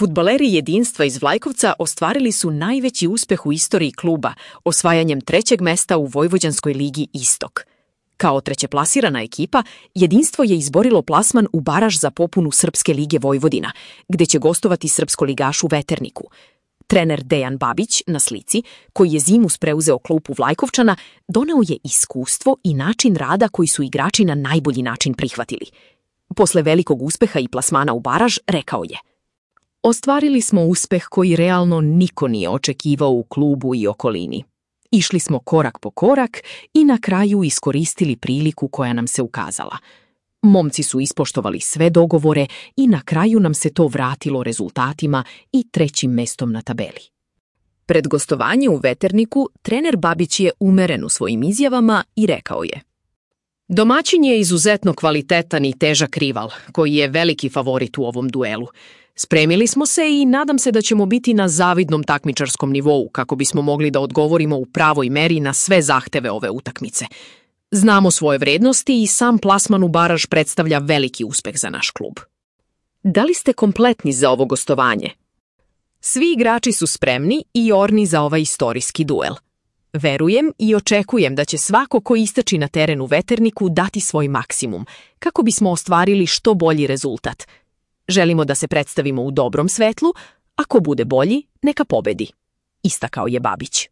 Fudbaleri Jedinstva iz Vlajkovca ostvarili su najveći uspeh u istoriji kluba, osvajanjem 3. mesta u Vojvođanskoj ligi Istok. Kao trećeplasirana ekipa, Jedinstvo je izborilo plasman u baraž za popunu Srpske lige Vojvodina, gde će gostovati srpskoligaš u Veterniku. Trener Dejan Babić, na slici, koji je zimus preuzeo klupu Vlajkovčana, doneo je iskustvo i način rada koji su igrači na najbolji način prihvatili. Posle velikog uspeha i plasmana u baraž, rekao je: ostvarili smo uspeh koji realno niko nije očekivao u klubu i okolini. Išli smo korak po korak i na kraju iskoristili priliku koja nam se ukazala. Momci su ispoštovali sve dogovore i na kraju nam se to vratilo rezultatima i 3. mestom na tabeli. Pred gostovanje u Veterniku, trener Babić je umeren u svojim izjavama i rekao je: domaćin je izuzetno kvalitetan i težak rival, koji je veliki favorit u ovom duelu. Spremili smo se i nadam se da ćemo biti na zavidnom takmičarskom nivou kako bismo mogli da odgovorimo u pravoj meri na sve zahteve ove utakmice. Znamo svoje vrednosti i sam plasman u baraž predstavlja veliki uspeh za naš klub. Da li ste kompletni za ovo gostovanje? Svi igrači su spremni i orni za ovaj istorijski duel. Verujem i očekujem da će svako ko istrači na teren u Veterniku dati svoj maksimum, kako bismo ostvarili što bolji rezultat. Želimo da se predstavimo u dobrom svetlu, a ko bude bolji, neka pobedi, istakao je Babić.